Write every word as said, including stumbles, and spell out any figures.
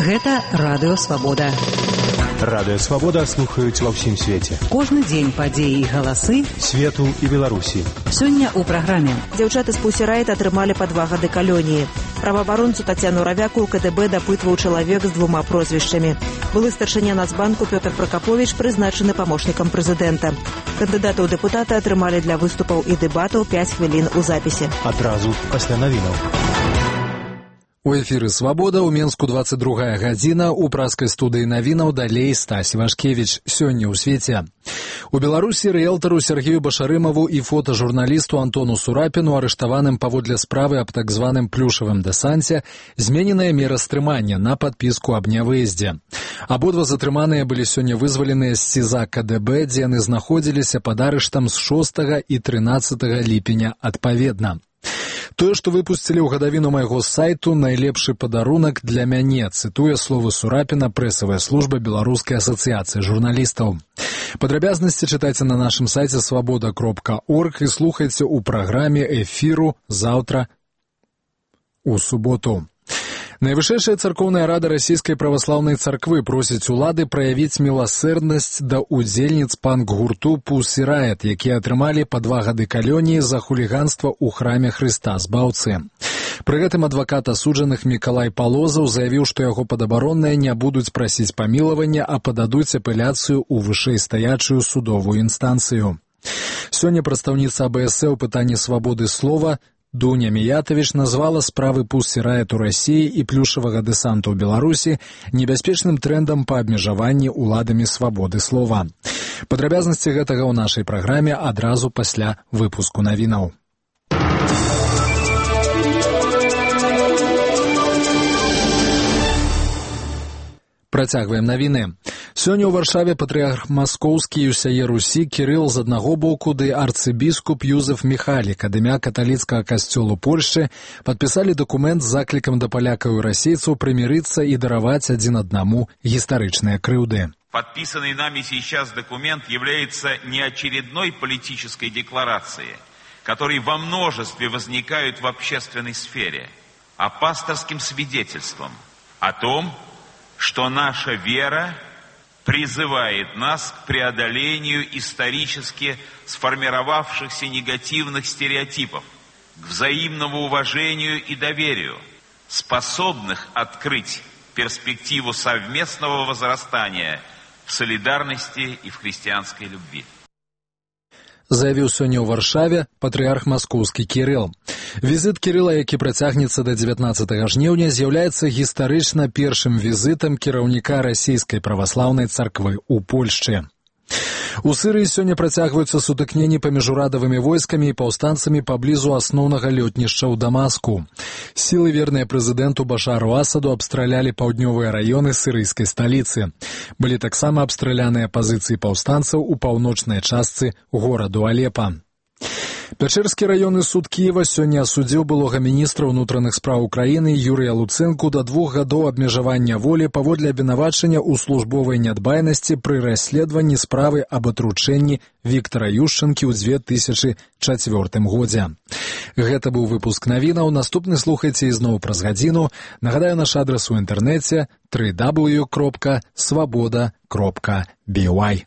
Гэта Радыё Свабода. Радыё Свабода слухаюць ва ўсім свеце. Кожны дзень падзеі і галасы свету і Беларусі. Сёння ў праграме. Дзяўчаты з Pussy Riot атрымалі па два гады калоніі. Праваабаронцу Тацяну Равяку КДБ дапытваў чалавек з двума прозвішчамі. Былы старшыня Нацбанку Пётр Пракаповіч прызначаны памочнікам прэзідэнта. Кандыдаты ў дэпутаты атрымалі для выступаў і дэбатаў пяць хвілін у запісе. Адразу пасля навінаў. У эфіры «Свабода» ў Менску двадцать другая гадзіна, у праскай студыі навінаў далей Стась Вашкевіч. Сёння ў свеце. У Беларусі рыэлтару Сергею Башарымаву і фотажурналісту Антону Сурапіну, арыштаваным паводле справы аб так званым плюшавым дэсанце, змененая мера стрымання на падпіску аб нявыездзе. Абодва затрыманыя былі сёння вызваленыя з СІЗА КДБ, дзе яны знаходзіліся пад арыштам з шостага і трынаццатага ліпеня адпаведна. Тое, што выпусцілі ў гадавіну майго сайту, найлепшы падарунак для мяне, цытуе словы Сурапіна прэсавая служба Беларускай асацыяцыі журналістаў. Падрабязнасці чытайце на нашым сайце свабода кропка орг і слухайце ў праграме эфіру заўтра у суботу. Найвышэйшая царкоўная рада расійскай праваслаўнай царквы просіць улады праявіць міласэрнасць да удзельніц панк-гурту Pussy Riot, якія атрымалі па два гады калоніі за хуліганства ў храме Хрыста Збаўцы. Пры гэтым адвакат асуджаных Мікалай Палозаў заявіў, што яго падабаронныя не будуць прасіць памілавання, а пададуць апеляцыю ў вышэйстаячую судовую інстанцыю. Сёння прадстаўніца АБС ў пытанні свабоды слова Дуня Міятавіч назвала справы Pussy Riot у Расіі і плюшавага дэсанту ў Беларусі небяспечным трэндам па абмежаванні ўладамі свабоды слова. Падрабязнасці гэтага ў нашай праграме адразу пасля выпуску навінаў. Працягваем навіны. Сёння ў Варшаве патрыарх маскоўскі і ўсяе Русі Кірыл з аднаго боку ды арцыбіскуп Юзеф Міхалік ад імя каталіцкага касцёлу Польшчы падпісалі дакумент з заклікам да палякаў і расейцаў прымірыцца і дараваць адзін аднаму гістарычныя крыўды. Подписанный нами сейчас документ является не очередной политической декларацией, которые во множестве возникают в общественной сфере, а пасторским свидетельством о том, что наша вера призывает нас к преодолению исторически сформировавшихся негативных стереотипов, к взаимному уважению и доверию, способных открыть перспективу совместного возрастания в солидарности и в христианской любви. Заявіў сёння ў Варшаве патрыарх маскоўскі Кірыл. Візіт Кірыла, які працягнецца да дзевятнаццатага жніўня, з'яўляецца гістарычна першым візітам кіраўніка расійскай праваслаўнай царквы ў Польшчы. У Сырыі сёння працягваюцца сутыкненні паміж урадавымі войскамі і паўстанцамі паблізу асноўнага лётнішча ў Дамаску. Сілы, верныя прэзідэнту Башару Асаду, абстралялі паўднёвыя раёны сырыйскай сталіцы. Былі таксама абстраляныя пазіцыі паўстанцаў у паўночнай частцы гораду Алепа. Пячэрскі раённы суд Кіева сёння асудзіў былога міністра ўнутраных спраў Украіны Юрыя Луцэнку да двух гадоў абмежавання волі паводле абвінавачання ў службовай нядбайнасці пры расследаванні справы аб атручэнні Віктара Юшчэнкі ў дзве тысячы чацвёртым годзе. Гэта быў выпуск навінаў. Наступны слухайце ізноў праз гадзіну. Нагадаю, наш адрас у інтэрнэце дабл ю дабл ю дабл ю кропка свабода кропка бі вай.